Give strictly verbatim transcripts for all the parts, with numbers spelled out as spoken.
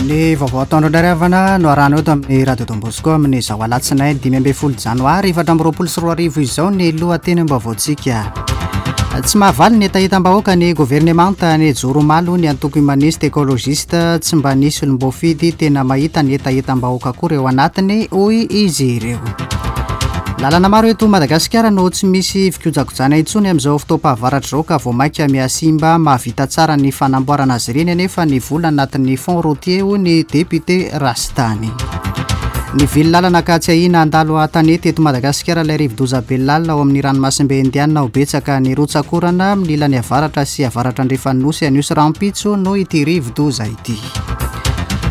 Ny vaovao ataondro indray havana no arahana eto amin'ny Radio Don Bosco amin'izao alatsinainy dimy ambin'ny folo janoary efatra amby roapolo sy roa arivo izao ny lohatenim-baovaontsika. Tsy mahavaly ny hetahetam-bahoaka ny governemanta nijoro omaly hoy ny antoko humaniste écologiste. Tsy mba nisy olom-boafidy tena mahita ny hetahetam-bahoaka akory eo anatiny hoy izy ireo. Lalana maro eto Madagasikara no tsy misy fikojakojana intsony amin'izao fotoam-pahavaratra izao ka vao mainka mihasimba. Mahavita tsara ny fanamboarana azy ireny anefa ny vola anatin'ny fonds routier hoy ny député Rastany. Nivily lalana ka tsy ahiana handalo an-tanety eto Madagasikara ilay rivodoza Belal ao amin'ny ranomasimbe Indiana. Ho betsaka ny rotsakorana amin'ny ilany avaratra sy avaratra andrefan'ny nosy anio sy rahampitso noho ity rivodoza ity.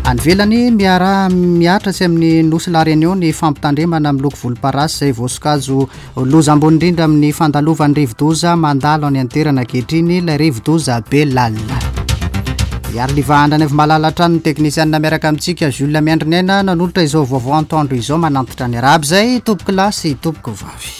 Any ivelany, miara mihatra tsy amin'ny nosy La Réunion ny fampitandremana miloko volomparasy izay voasokajy loza ambony indrindra amin'ny fandalovan'ny rivodoza mandalo any an-toerana ankehitriny ilay rivodoza Belal. Iariliva Andranaivo-Malala hatrany ny teknisianina miaraka amintsika Jules Miandriniaina nanolotra izao vaovao antoandro izao manantitra ny arahaba izay tompoko lahy sy tompoko vavy.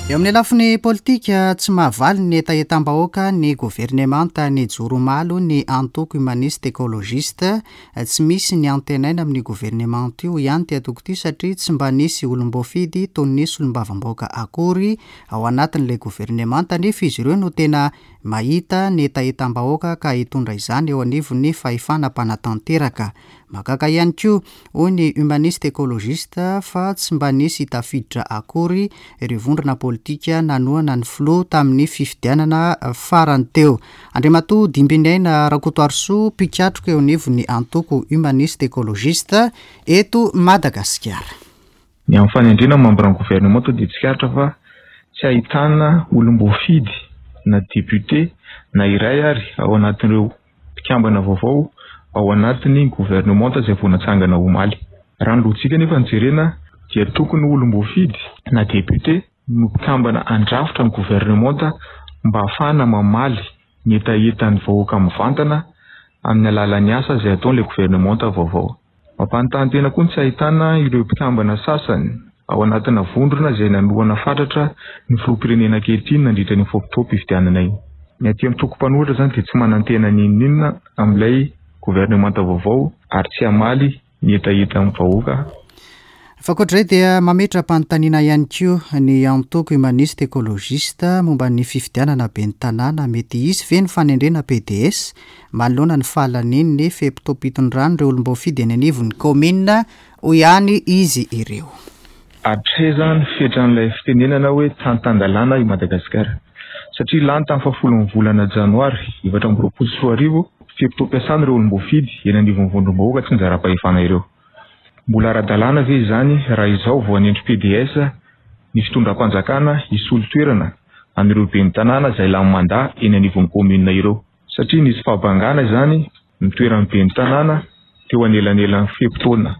Eo amin'ny lafiny politika, tsy mahavaly ny hetahetam-bahoaka ny governemanta nijoro omaly hoy ny antoko humaniste écologiste. Tsy misy ny antenaina amin'ny governemanta io ihany ity antoko ity satria tsy mba nisy olom-boafidy toy ny solombavambahoaka akory ao anatin'ilay governemanta, nefa izy ireo no tena mahita ny hetahetam-bahoaka ka hitondra izany eo anivon'ny fahefana mpanatanteraka. Mahagaga ihany koa hoy ny humaniste écologiste fa tsy mba nisy tafiditra akory ireo vondrona politika nanohana ny filoha tamin'ny fifidianana farany teo. Andriamatoa Dimbiniaina Rakotoarisoa, mpikatroka eo anivon'ny antoko humaniste écologiste eto Madagasikara. Ny amin'ny fanendrena membre ny gouvernement dia tsikaritra fa tsy ahitana olom-boafidy na député na iray ary ao anatin'ireo mpikambana vaovao ao anatin'ny gouvernement izay vao natsangana omaly. Raha ny lojika nefa ny jerena dia tokony olom-boafidy na député no mpikambana andrafitra ny gouvernement mba ahafahana mamaly ny hetahetan'ny vahoaka mivantana amin'ny alalan'ny asa izay ataon'ilay gouvernement vaovao. Mampanontany tena koa ny tsy ahitana ireo mpikambana sasany ao anatina vondrona izay nanohana fatratra ny filoham-pirenena ankehitriny nandritra ny fotoam-pifidianana iny. Ny aty amin'ny toko mpanohitra izany dia tsy manantena n'inon'inona amin'ilay governemanta vaovao ary tsy hamaly ny hetahetan'ny vahoaka. Fa ankoatr'izay dia mametra-panontaniana ihany koa ny antoko humaniste écologiste momba ny fifidianana ben'ny tanàna. Mety hisy ve ny fanendrena P D S manoloana ny fahalanian'ny fe-potoam-pitondran'ireo olom-boafidy eny anivon'ny kaominina hoy ihany izy ireo. Hatraiza ny fetran'ilay fitenenana hoe tantan-dalàna i Madagasikara? Satria lany tamin'ny fahafolon'ny volana janoary efatra amby roapolo sy roa arivo fe-potoam-piasana ireo olom-boafidy eny anivon'ny vondrom-bahoaka tsy nizara-pahefana ireo. Mbola ara-dalàna ve izany raha izao vao hanendry P D S ny fitondram-panjakana hisolo toerana an'ireo ben'ny tanàna izay lany mandat eny anivon'ny kaominina ireo? Satria nisy fahabangana izany ny toeran'ny ben'ny tanàna teo anelanelan'ny fe-potoana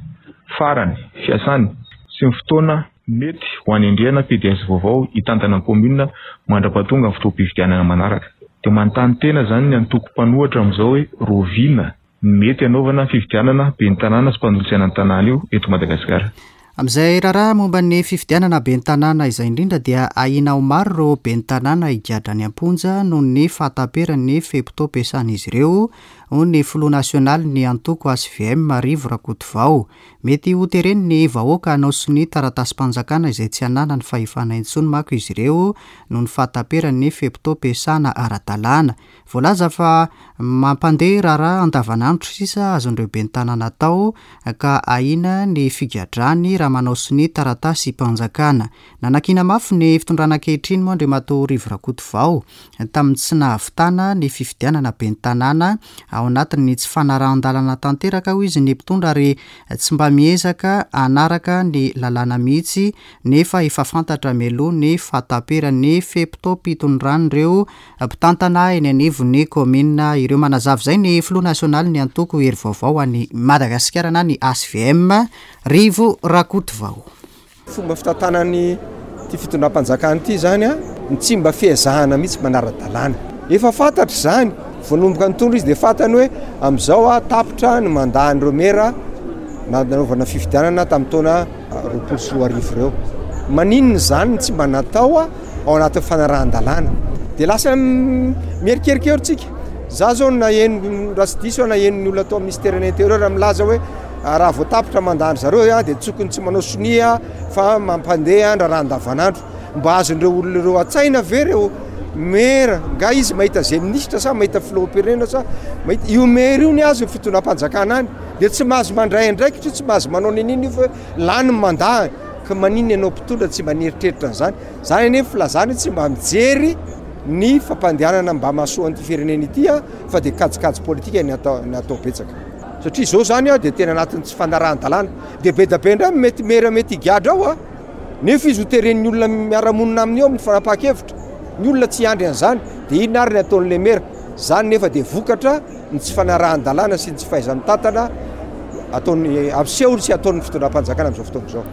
farany fiasany sy ny fotoana mety ho anendrena P D S vaovao hitantana ny kaominina mandra-pahatonga ny fotoam-pifidianana manaraka. Dia manontany tena izany ny antoko mpanohitra amin'izao hoe roviana ny mety hanaovana fifidianana ben'ny tanàna sy mpanolotsaina ny tanàna io eto Madagasikara. Amin'izay raharaha momba ny fifidianana ben'ny tanàna izay indrindra dia ahiana ho maro ireo ben'ny tanàna higadra any am-ponja noho ny fahataperan'ny fe-potoam-piasan'izy ireo, hoy ny filoha nasionaly ny antoko H V M Rivo Rakotovao. Mety ho teren'ny vahoaka hanao sonia taratasim-panjakana izay tsy ananany fahefana intsony manko izy ireo noho ny fahataperan'ny fe-potoam-piasana ara-dalàna. Voalaza fa mampandeha raharaha andavanandro sisa azon'ireo ben'ny tanàna atao ka ahiana ny figadrany raha manao sonia taratasim-panjakana. Nanakiana mafy ny fitondrana ankehitriny moa Andriamatoa Rivo Rakotovao tamin'ny tsy nahavitana ny fifidianana ben'ny tanàna ao anatin'ny tsy fanarahan-dalàna tanteraka hoy izy ny mpitondra ary tsy mba miezaka hanaraka ny lalàna mihitsy nefa efa fantatra mialoha ny fahataperan'ny fe-potoam-pitondran'ireo mpitantana eny anivon'ny kaominina ireo. Manazava izay ny filoha nasionaly ny antoko Hery Vaovao any Madagasikara na ny H V M Rivo Rakotovao. Fomba fitantanany ity fitondram-panjakana ity izany a, ny tsy mba fiezahana mihitsy manara-dalàna. Efa fantatra izany, vao nanomboka nitondra izy dia fantany hoe amin'izao a, tapitra ny mandat-n'ireo mera nanaovana fifidianana tamin'ny taona roapolo sy roa arivo ireo. Maninona izany no tsy mba natao a, ao anatin'ny fanarahan-dalàna? Dia lasa mierikerika eo tsika. Za zao naheno, raha tsy diso aho, naheno ny olona atao amin'ny ministère de l'Intérieur milaza hoe raha vao tapitra mandat zareo dia tokony tsy manao sonia fa mampandeha raharaha andavanandro. Mba azon'ireo olona ireo an-tsaina ve ireo maire? Nga izy mahita zay ministra sa mahita filoham-pirenena sa mahita io maire io ny azo ny fitondram-panjakana any, dia tsy mahazo mandray andraikitra io, tsy mahazo manao ninino io fa lany ny mandat. Ka maninona ianao mpitondra tsy mba nieritreritra an'izany? Zany anie filazana tsy mba mijery ny fampandehanana mba mahasoa an'ity firenena ity a, fa dia kajikajy politika ny atao ny atao betsaka. Satria zao zany a dia tena anatin'ny tsy fanarahan-dalàna. Dia be da be indray mety maire mety higadra ao a, nefa izy ho teren'ny olona miara-monina aminy eo amin'ny fanapahan-kevitra. Ny olona tsy hiandry an'izany, dia inona ary ny ataon'ilay maire? Zany nefa dia vokatra ny tsy fanarahan-dalàna sy ny tsy fahaiza-mitantana ataony ampisehony sy ataon'ny fitondram-panjakana amin'izao fotoana izao.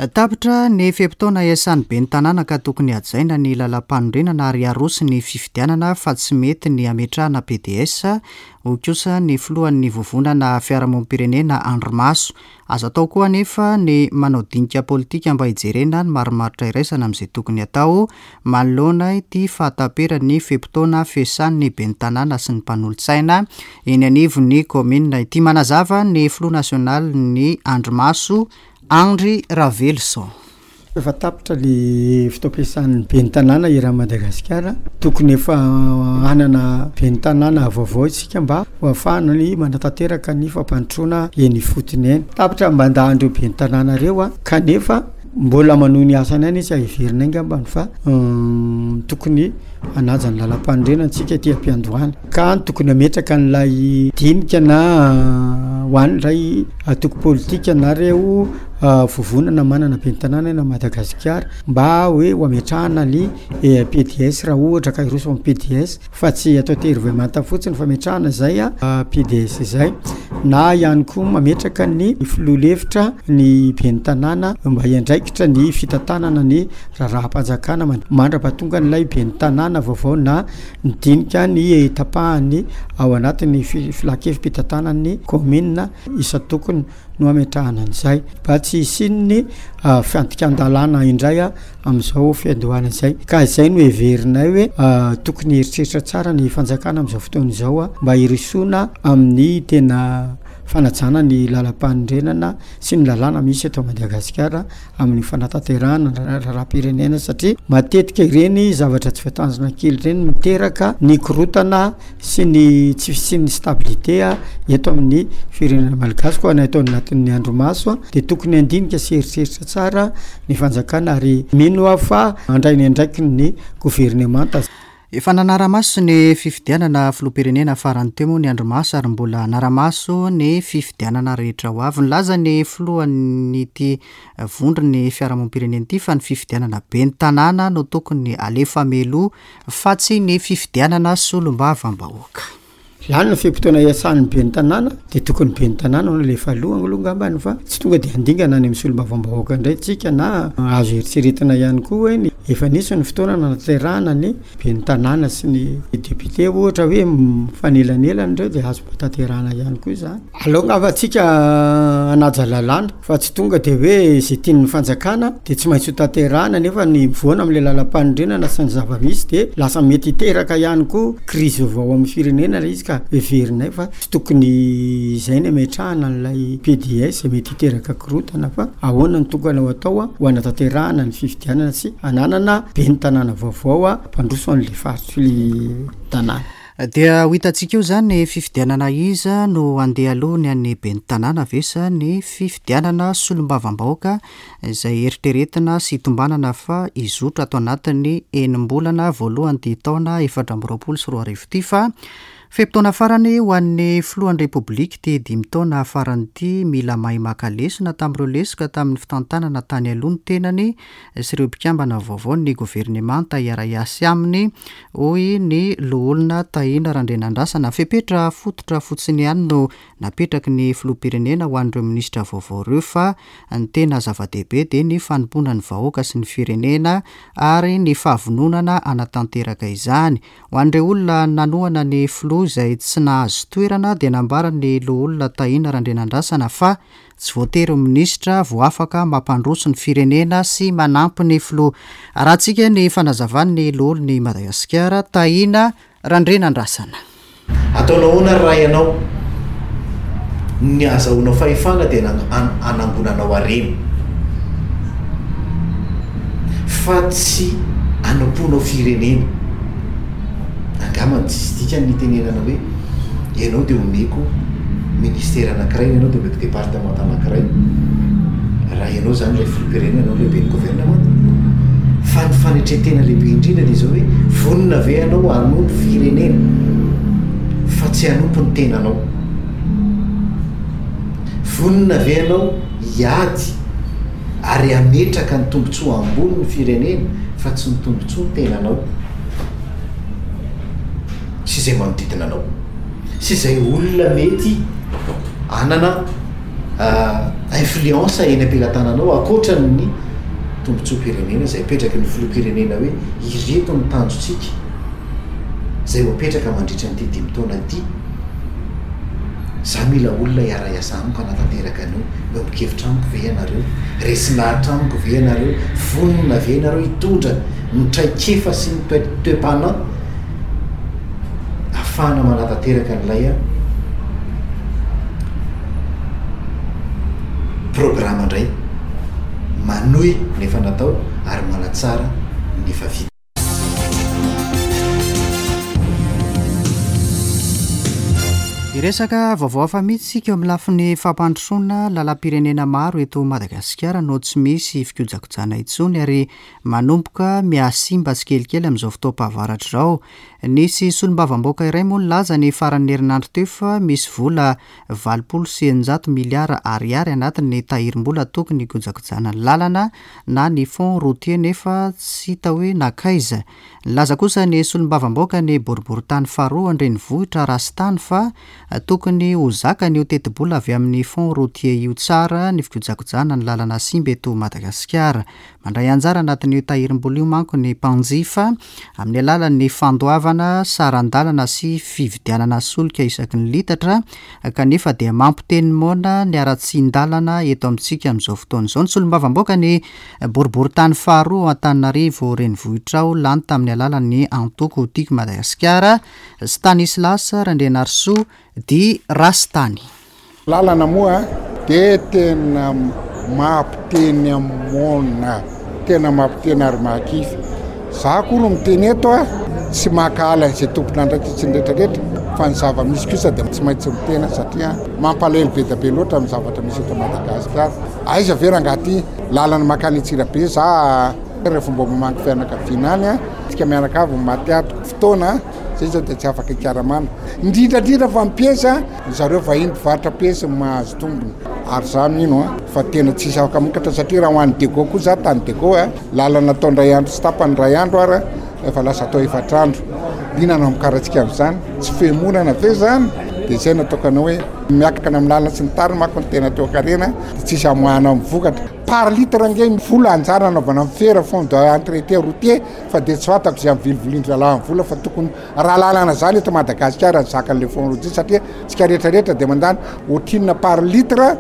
Tapitra ny fe-potoana iasan'ny ben'ny tanàna ka tokony hajaina ny lalam-panorenana ary aroso ny fifidianana fa tsy mety ny ametrahana P D S, hoy kosa ny filohan'ny vovonana fiarahamonim-pirenena Andrimaso. Azo atao koa anefa ny manao dinika politika mba hijerena ny marimaritra iraisana amin'izay tokony atao manoloana ity fahataperan'ny fe-potoana fiasan'ny ben'ny tanàna sy ny mpanolotsaina eny anivon'ny kaominina ity. Manazava ny filoha nasionaly ny Andrimaso, Andry Ravelison. Efa tapitra le fotoam-piasan'ny ben'ny tanàna eran'i Madagasikara. Tokony efa hanana ben'ny tanàna vaovao isika mba ho ahafahana ny manatanteraka ny fampandrosoana eny ifotony eny. Tapitra mandat-ndreo ben'ny tanàna reo a, kanefa mbola manohy ny asany ihany izy. Heverina angambany fa tokony hanaja ny lalam-panorenana tsika ty am-piandohana, ka tokony ametraka an'ilay dinika na ho an'ny ray antoko politika na reo vovonana manana ben'ny tanàna na Madagasikara mba hoe ho ametrahana ny P D S raha ohatra ka hiroso amin'ny P D S, fa tsy atao tery manta fotsiny fametrahana zay a P D S zay, na ihany koa mametraka ny filoha lefitra ny ben'ny tanàna mba hiandraikitra ny fitantanana ny raharaham-panjakana mandra-pahatonga n'ilay ben'ny tanàna vaovao, na ny dinika ny tapahany ao anatin'ny filan-kevi-pitantanany kaominina isan-tokony no ametrahana an'izay mba tsy hisian'ny fandikan-dalàna indray a am'izao fiandohana izay. Ka izay no heverinay hoe tokony eritreritra tsara ny fanjakana am'izao fotoana izao a mba hirosoana amin'ny tena fanajana ny lalam-panorenana sy ny lalàna misy eto Madagasikara amin'ny fanatanterahana raharaham-pirenena, satria matetika ireny zavatra tsy voatanjona kely ireny miteraka ny korotana sy ny tsy fisian'ny stabilité a eto amin'ny firenena malagasy. Koa na eto anatin'ny Andrimaso a de tokony andinika sy eritreritra tsara ny fanjakana, ary mino aho fa handray ny andraikiny ny governemanta. Efa nanara-maso ny fifidianana filoham-pirenena farany teo moa ny Andrimaso ary mbola hanara-maso ny fifidianana rehetra ho avy. Nilaza ny filohan'ity vondron'ny fiarahamonim-pirenena ity fa ny fifidianana ben'ny tanàna no tokony alefa mialoha fa tsy ny fifidianana solombavam-bahoaka. Lany ny fe-potoana iasan'ny ben'ny tanàna, de tokony ben'ny tanàna no lefa aloha aloha angambany, fa tsy tonga de andingana any amin'ny solombavam-bahoaka indray tsika. Na azo eritreretina ihany koa hoe ny efa nisy ny fotoana nanatanterahana ny ben'ny tanàna sy ny député, ohatra hoe mifanelanelana ireo, de azo tanterahana ihany koa zany. Aleo angamba tsika hanaja lalàna fa tsy tonga de hoe zay tian'ny fanjakana de tsy maintsy ho tanterahana, nefa ny mivoana am'le lalam-panorenana sy ny zava-misy de lasa mety hiteraka ihany koa krizy vaovao amin'ny firenena le izy. Ka heverinay fa tsy tokony izay ny ametrahana an'ilay P D S mety hiteraka korotana, fa ahoana ny tokony ho atao a ho anatanterahana ny fifidianana sy hananana ben'ny tanàna vaovao a mpandroso an'le faritry le tanàna. Dia ho hitantsika eo zany fifidianana iza no andeha aloha, ny an'ny ben'ny tanàna ve sa ny fifidianana solombavam-bahoaka izay eritreretina sy tombanana fa hizotra ato anatin'ny enim-bolana voalohany ty taona efatra amby roapolo sy roa arivo ty. Fa fe-potoana farany ho an'ny filohan'ny Repoblika ty dimy taona farany ity. Mila mahay maka lesona tamin'ireo lesoka tamin'ny fitantanana tany aloha ny tenany sy ireo mpikambana vaovao ny governemanta hiara-hiasa aminy, hoy ny loholona Tahina Randrianandrasana. Fepetra fototra fotsiny ihany no napetraky ny filoham-pirenena ho an'ireo minisitra vaovao ireo, fa ny tena zava-dehibe dia ny fanompoana ny vahoaka sy ny firenena ary ny fahavononana hanatanteraka izany. Ho an'ireo olona nanohana ny filoha teo aloha izay tsy nahazo toerana dia nambaran'ny loholona Tahina Randrianandrasana fa tsy voatery ho minisitra vao afaka mampandroso ny firenena sy manampy ny filoha. Arahantsika ny fanazavan'ny loholon'i Madagasikara Tahina Randrianandrasana. Ataonao ahoana ry Ray anao? Ny ahazahoanao fahefana dia hanangonanao harena, fa tsy hanompoanao firenena. Angambany tsisy dikany ny hitenenana hoe ianao dia omeko ministera anankiray, ianao dia omeko departemanta anankiray, raha ianao izany ilay filoham-pirenena, ianao lehiben'ny governemanta. Fa ny fanetren-tena lehibe indrindra dia izao hoe vonona ve ianao hanompo firenena fa tsy hanompo ny tenanao? Vonona ve ianao hiady ary hametraka ny tombontsoa ambony ny firenena fa tsy ny tombontsoa ny tenanao sy izay manodidina anao sy izay olona mety hanana influence eny am-pelatananao ankoatra ny tombontsoam-pirenena izay apetraky ny filoham-pirenena hoe ireto ny tanjontsika izay ho apetraka mandritra an'ity dimy taona ity. Za mila olona hiara-hiasa amiko hanatanteraka an'io. Miombon-kevitra amiko ve ianareo? Resy lahatra amiko ve ianareo? Vonona ve ianareo hitondra ny traikefa sy ny toe-panahy ahafahana manatanteraka an'ilay programa indray, manohy ny efa natao ary manatsara ny efa vita? Hiresaka vaovao hafa mihitsy isika eo amin'ny lafiny fampandrosoana. Lalam-pirenena maro eto Madagasikara no tsy misy fikojakojana intsony ary manomboka mihasimba tsikelikely amin'izao fotoam-pahavaratra izao. Nisy solombavambahoaka iray moa nilaza ny faran'ny herinandro teo fa misy vola valopolo sy eninjato miliara ariary anatin'ny tahirim-bola tokony hikojakojana ny lalana na ny fonds routier nefa tsy hita hoe nankaiza. Nilaza kosa ny solombavambahoaka ny boriborintany faharoa an-drenivohitra Rastany fa tokony ho zakany io tetibola avy amin'ny fonds routier io tsara ny fikojakojana ny lalana simba eto Madagasikara. Mandray anjara anatin'io tahirim-bola io manko ny mpanjifa amin'ny alalan'ny fandoavana saran-dalana sy fividianana solika isaky ny litatra, kanefa dia mampiteny moana ny haratsian-dalana eto amintsika amin'izao fotoana izao. Ny solombavambahoaka ny boriborintany faharoa Antananarivo renivohitra ao lany tamin'ny alalan'ny antoko Tiako Madagasikara, Stanislas Randrianarisoa di Rastany. Lalana moa dia tena mampiteny amona, tena mampiteny ary mahakivy. Za koa no miteny eto a, tsy mankahala izay tompon'andraikitra ny rehetrarehetra, fa ny zava-misy kosa dia tsy maintsy mitena satria mampalahelo be dia be loatra ny zavatra misy eto Madagasikara. Aiza ve rangahy ty lalana mankany Antsirabe za rehefa mba mamangy fianakaviana any a, tsika mianakavy maty ato fotoana zay zao dia tsy afaka hikaramana. Indrindra indrindra fa mipiesy a, zareo vahiny mpivarotra piesy mahazo tombony. Ary za mino a fa tena tsisy afaka mamokatra satria raha ho an'ny Dego koa za tany Dego a, lalana atao indray andro sy tapany indray andro ary efa lasa atao efatra andro. Inona no hamokaratsika amin'izany? Tsy fihemorana ve zany? Dia izay no ataoko anao hoe miakatra amin'ny lalana sy ny tariny manko ny tena toekarena dia tsisy hamoahana amin'ny vokatra. Par litre ange ny vola anjara anaovana ny fera fonds d'entretien routier fa dia tsy fantako izay amin'ny vilivilindry zalahy amin'ny vola fa tokony raha lalana zany eto Madagasikara ny zakan'ilay fonds routier satria tsika rehetrarehetra dia mandany ohatrinona par litre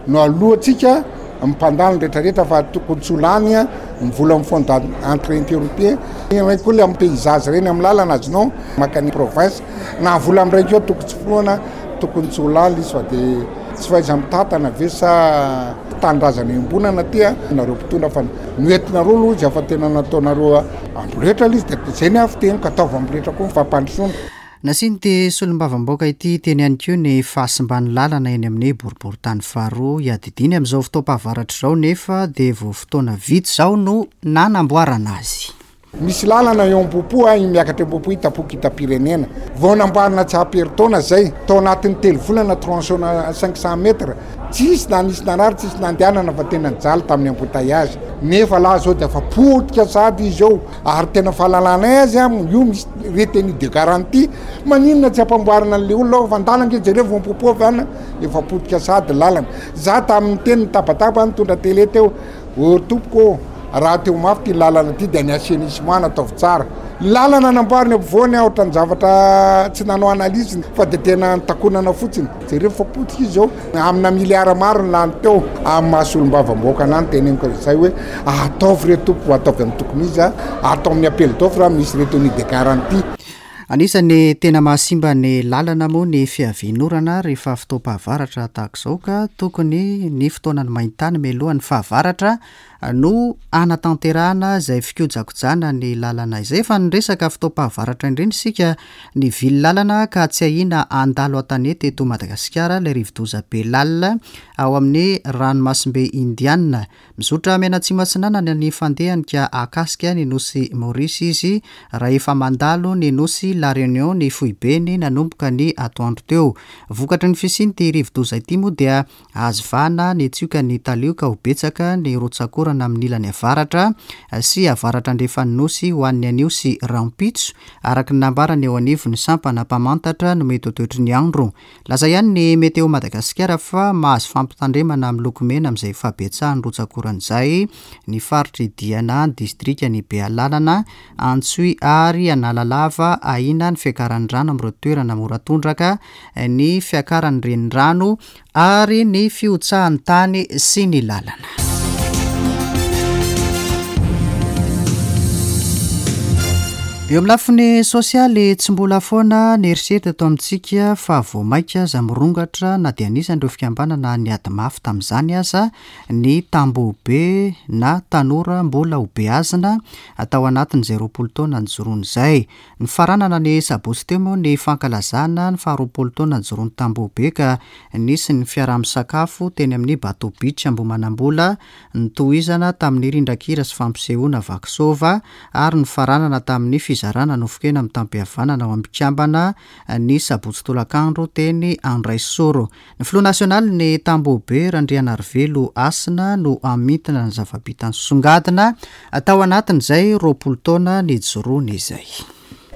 no alohantsika mpandany rehetrarehetra fa tokony tsy ho lany ny vola amin'ny fonds d'entretien routier. Ireny koa ilay amin'ny paysage ireny amin'ny lalana azonao maka ny province na vola amin'ireny koa tokony tsy foana, tokony tsy ho lany izy fa dia tsy fahaiza mitantana ve sa tanindrazana iombonana aty a nareo mpitondra fa noentinareo aloha izy efa tena nataonareo amboletra ilay izy dia izay ny ahy fiteniko ataovy amboletra koa ny fampandrosoana. Nasian'ity solombavambahoaka ity teny ihany koa ny fahasimban'ny lalana eny amin'ny boriborintany faharoa iadidiany amin'izao fotoam-pahavaratra izao nefa dia vao fotoana vitsy izao no nanamboarana azy. Misy lalana eo Ambohipo a, iny miakatra Ambohipo iny tampoka hitam-pirenena. Vao namboarina tsy ampy herintaona zay, tao anatin'ny telo volana tronçon cinq cent mètres. Tsisy na nisy narary, tsisy nandehanana fa tena nijaly tamin'ny embouteillage. Nefa lahy zao dia efa potika sady izy eo, ary tena fahalalanay azy a, io misy retenue de garantie. Maninona tsy ampamboarina an'le olona ao fa andalana ange jereo vao Ambohipo avy any, efa potika sady lalana. Za tamin'ny teny nitabataba nitondra télé teo, ô tompoko ô, raha teo mafy ty lalana ty dia ny assainissement nataovy tsara. Lalana namboariny ampovoany ohatran'ny zavatra tsy nanao analyse fa dia tena nitakonana fotsiny. Jereo fa potika izy zao, amina miliara maro ny lany teo. Amin'ny maha solombavambahoaka anahy no teneniko an'izay hoe ataovy re tompoko, ataovy amin'ny tokony izy, atao amin'ny appel d'offre misy retenue de garantie. Anisan'ny tena mahasimba ny lalana moa ny fiavian'orana rehefa fotoam-pahavaratra tahaka izao, ka tokony ny fotoanan'ny maintany mialohan'ny fahavaratra no hanatanterahana izay fikojakojana ny lalana izay. Efa niresaka fotoam-pahavaratra indrindra isika ny vily lalana ka tsy ahiana handalo an-tanety eto Madagasikara ilay rivodoza Belal ao amin'ny ranomasimbe Indiana. Mizotra mianatsimo atsinanana ny fandehany ka ahakasika ny nosy Maurice izy raha efa mandalo ny nosy La Réunion ny foibeny nanomboka ny atoandro teo. Vokatry ny fisian'ity rivodoza ity moa dia azo vahana ny tsioka ny talio ka ho betsaka ny rotsakorana amin'ny ilany avaratra sy avaratra andrefan'ny nosy ho an'ny anio sy rahampitso, araka ny nambarany eo anivon'ny sampana mpamantatra no mety ho toetry ny andro. Laza ihany ny Météo Madagasikara fa mahazo fampitandremana amin'ny loko mena amin'izay fahabetsahan'ny rotsakorana izay ny faritry Diana, ny distrikan'i Bealanana, Antsohihy ary Analalava. Ahiana ny fiakaran'ny rano amin'ireo toerana mora tondraka, ny fiakaran'ny renirano ary ny fihotsahan'ny tany sy ny lalana. Eo amin'ny lafiny sosialy, tsy mbola foana ny herisetra eto amintsika fa vao mainka aza mirongatra na dia anisan'ireo fikambanana niady mafy tamin'izany aza ny tambohobe na tanora mbola ho beazina atao anatin'izay roapolo taona nijoroana izay. Nifaranana ny sabotsy teo moa ny fankalazana ny faharoapolo taona nijoroan'ny tambohobe ka nisy ny fiaraha-misakafo teny amin'ny Bateau Beach Ambohimanambola, nitohizana tamin'ny rindran-kira sy fampisehoana vakisova ary nifaranana tamin'ny fizarana nofon-kena mitam-pihavanana ao amin'ny mpikambana ny sabotsy tolakandro teny Andraisoro. Ny filoha nasionaly ny tambohobe Randrianarivelo Hasina no hamintina ny zava-bitany songadina tao anatin'izay roapolo taona nijoroany izay.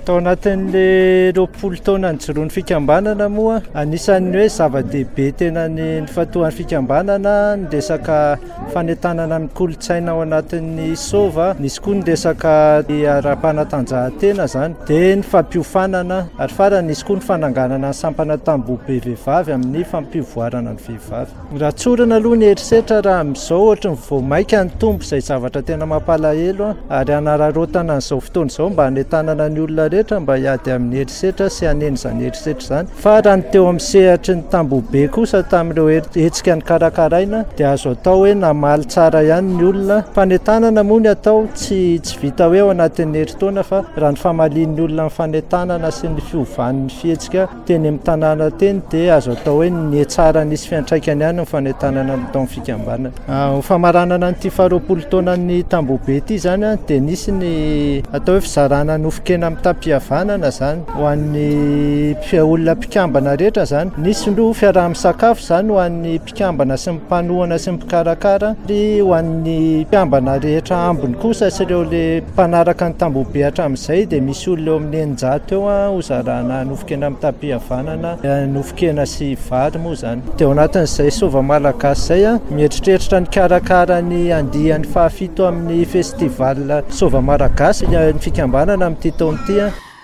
Tao anatin'le roapolo taona nijoroan'ny fikambanana moa, anisan'ny hoe zava-dehibe tena ny nifantohan'ny fikambanana ny resaka fanentanana ny kolontsaina ao anatin'ny sova, nisy koa ny resaka ara-panatanjahantena zany, dia ny fampiofanana, ary farany nisy koa ny fananganana ny sampana tambohobe vehivavy amin'ny fampivoarana ny vehivavy. Raha tsorina aloha ny herisetra raha amin'izao ohatry ny vao mainka nitombo izay zavatra tena mampalahelo, ary hanararaotana an'izao fotoana izao mba hanentanana ny olona rehetra mba hiady amin'ny herisetra sy hanena izany herisetra izany. Fa raha ny teo amin'ny sehatry ny tambohobe kosa tamin'ireo hetsika nikarakaraina dia azo atao hoe namaly tsara ihany ny olona. Fanentanana moa ny atao, tsy tsy vita hoe ao anatin'ny herintaona, fa raha ny famalian'ny olona ny fanentanana sy ny fiovan'ny fihetsika teny amin'ny tanàna teny dia azo atao hoe nihatsara nisy fiantraikany ihany ny fanentanana natao amin'ny fikambanana. Ho famaranana an'ity faharoapolo taonan'ny tambohobe ity zany dia nisy ny atao hoe fizarana nofon-kena mitam-pihavanana zany ho an'ny olona mpikambana rehetra zany. Nisy no fiaraha-misakafo zany ho an'ny mpikambana sy ny mpanohana sy ny mpikarakara, ary ho an'ny mpikambana rehetra ambiny kosa sy ireo le mpanaraka ny tambohobe hatramin'izay dia misy olona eo amin'ny eninjato eo hozarana nofon-kena mitam-pihavanana, nofon-kena sy vary moa zany. Dia ao anatin'izay sova malagasy izay mieritreritra nikarakara ny andiany fahafito amin'ny festival sova malagasy ny fikambanana amin'ity taona ity.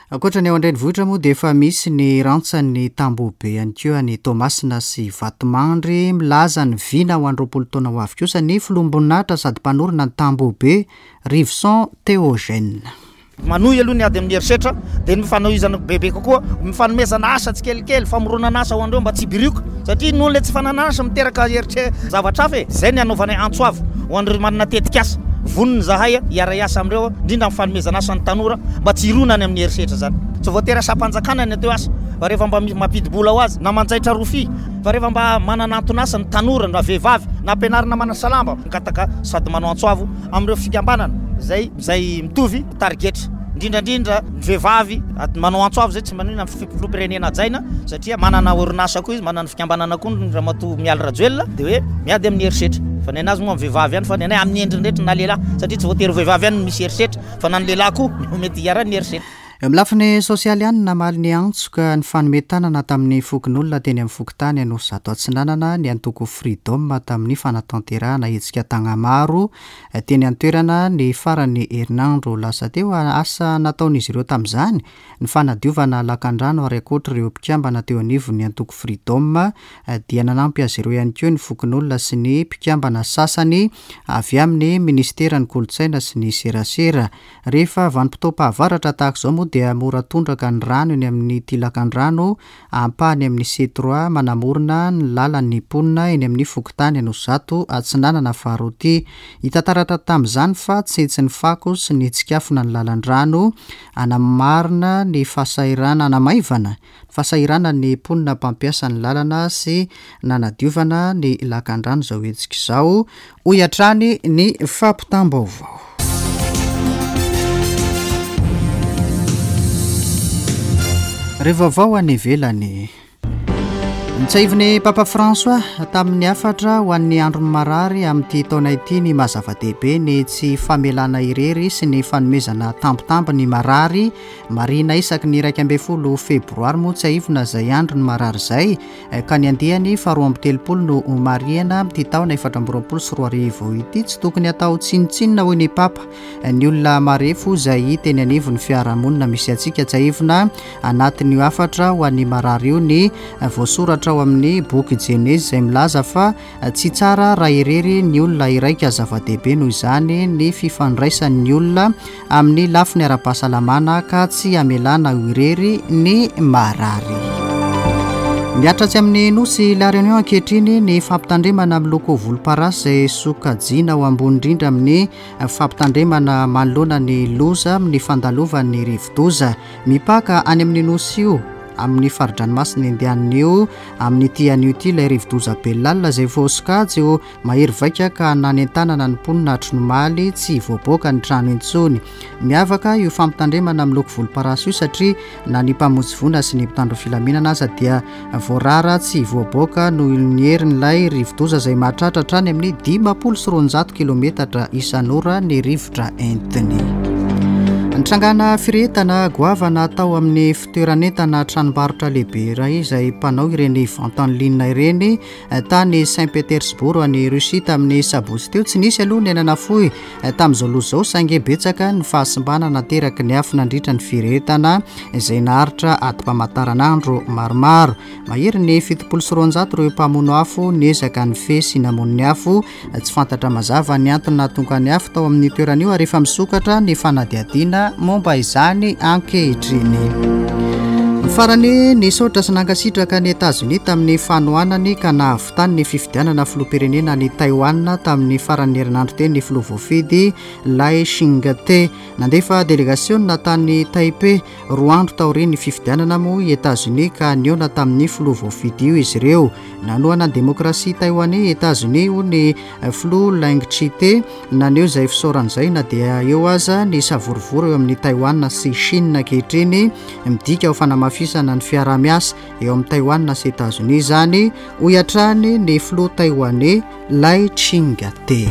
Ankoatra ny ao an-drenivohitra moa dia efa misy ny rantsan'ny tambohobe ihany koa any Toamasina sy Vatomandry. Milaza ny vina ho an'ny roapolo taona ho avy kosa ny filoham-boninahitra sady mpanorina ny tambohobe Rivoson Théogène. Manohy aloha ny ady amin'ny herisetra, dia ny fanohizana bebe kokoa, ny fanomezana asa tsikelikely, famoronana asa ho an'ireo mba tsy hibirioka, satria noho ilay tsy fananana asa miteraka heritre zavatra hafa e. Izay ny hanaovanay antso avo ho an'ireo manana tetikasa. Vonona izahay hiara-hiasa amin'ireo, indrindra amin'ny fanomezana asa ny tanora mba tsy hirona any amin'ny herisetra izany. Tsy voatery asam-panjakana ny atao asa, fa rehefa mba mampidi-bola ho azy, na manjaitra rofia, fa rehefa mba manana anton'asa ny tanora na vehivavy, na ampianarina manasa lamba, mangataka sady manao antso avo amin'ireo fikambanana izay izay mitovy tarigetra, indrindra indrindra ny vehivavy manao antso avo izay tsy manina ny filoham-pirenena hajaina, satria manana orinasa koa izy, manana fikambanana koa ny Ramatoa Mialy Rajoelina, dia hoe miady amin'ny herisetra. Fa ny anazy moa amin'ny vehivavy ihany, fa ny anay amin'ny endriny rehetra na lehilahy, satria tsy voatery vehivavy ihany no misy herisetra, fa na ny lehilahy koa no mety hiharan'ny herisetra. Eo amin'ny lafiny sosialy ihany, namaly ny antso ka nifanome tanana tamin'ny fokonolona teny amin'ny fokontany Anosizato Atsinanana ny antoko Freedom tamin'ny fanatanterahana hetsika tagnamaro teny an-toerana ny faran'ny herinandro lasa teo. Asa nataon'izy ireo tamin'izany ny fanadiovana lakandrano, ary ankoatra ireo mpikambana teo anivon'ny antoko Freedom dia nanampy azy ireo ihany koa ny fokonolona sy ny mpikambana sasany avy amin'ny ministeran'ny kolontsaina sy ny serasera. Rehefa vanim-potoam-pahavaratra tahaka izao moa dia mora tondraka ny rano eny amin'ny ity lakandrano ampahany amin'ny C trois manamorona ny lalan'ny mponina eny amin'ny fokontany Anosizato Atsinanana faharoa ity. Hita taratra tamin'izany fa tsentsin'ny fako sy ny tsikafona ny lalan-drano, anamarina ny fahasahiranana, anamaivana fahasahiranana ny mponina mpampiasa ny lalana sy nanadiovana ny lakandrano izao hetsika izao, hoy hatrany ny fampitam-baovao. Ireo vaovao any ivelany. Notsahivin'ny Papa François tamin'ny hafatra ho an'ny andron'ny marary amin'ity taona ity ny maha zava-dehibe ny tsy famelana irery sy ny fanomezana tambitamby ny marary. Marihina isaky ny iraika ambin'ny folo febroary moa tsiahivina izay andron'ny marary izay, ka ny andiany faharoa amby telopolo no homarihina amin'ity taona efatra amby roapolo sy roa arivo ity. Tsy tokony hatao tsinontsinona hoy ny Papa ny olona marefo izay hita eny anivon'ny fiarahamonina misy antsika. Tsiahivina anatin'io hafatra ho an'ny marary io ny voasoratra ao amin'ny boky Jenezy izay milaza fa tsy tsara raha irery ny olona iraika. Zava-dehibe noho izany ny fifandraisan'ny olona amin'ny lafiny ara-pahasalamana ka tsy hamelana ho irery ny marary. Miatratsy amin'ny nosy La Réunion ankehitriny ny fampitandremana miloko volomparasy izay sokajiana ho ambony indrindra amin'ny fampitandremana manoloana ny loza amin'ny fandalovan'ny rivodoza. Mipaka any amin'ny nosy io amin'ny fari-dranomasina Indianina io amin'ity anio ity ilay rivodoza Belal izay voasokajy ho mahery vaika ka nanentanana ny mponina hatry ny omaly tsy hivoaboaka ny trano intsony. Miavaka io fampitandremana miloko volomparasy io satria na ny mpamonjy voina sy ny mpitandro filaminana aza dia voarara tsy hivoaboaka noho ny herin'ilay rivodoza izay mahatratra hatrany amin'ny dimampolo sy roanjato kilometatra isan'ora ny rivotra entiny. Nitrangana firehetana goavana tao amin'ny fitoeran'entana tranombarotra lehibe iray izay mpanao ireny vente en ligne ireny tany Saint-Pétersbourg any Russie tamin'ny sabotsy teo. Tsy nisy aloha ny aina nafoy tamin'izao loza izao, saingy betsaka ny fahasimbana nateraky ny afo nandritra ny firehetana izay naharitra adim-pamantaranandro maromaro. Mahery ny fitopolo sy roanjato ireo mpamono afo niezaka nifehy sy namono ny afo. Tsy fantatra mazava ny antony nahatonga ny afo tao amin'ny toerana io ary efa misokatra ny fanadihadiana momba izany ankehitriny. Farany, nisaotra sy nankasitraka ny Etazonia tamin'ny fanohanany ka nahavitany ny fifidianana filoham-pirenena any Taïwan tamin'ny faran'ny herinandro teny ny filoha voafidy Lai Ching-te. Nandefa delegasiona tany Taipei roa andro taorian'ny fifidianana moa i Etazonia ka nihaona tamin'ny filoha voafidy io izy ireo. Nanohana ny demokrasia taïwanais Etazonia hoy ny filoha Lai Ching-te, naneho izay fisaorana izay na dia eo aza ny savorovoro eo amin'ny Taïwan sy Chine ankehitriny. Midika ho fanamafisana ny fiaraha-miasa eo amin'ny Taïwan sy Etazonia izany, hoy hatrany ny filoha taïwanais Lai Ching-te.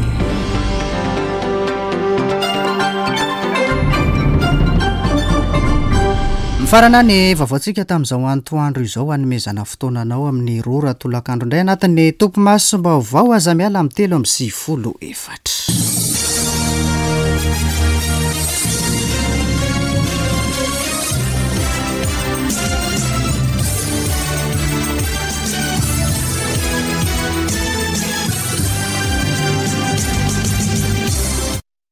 Mifarana ny vaovaontsika tamin'izao antoandro izao, hanomezana fotoana anao amin'ny roa ora tolakandro indray anatin'ny topimasom-baovao. Aza miala amin'ny telo amby sivifolo efatra.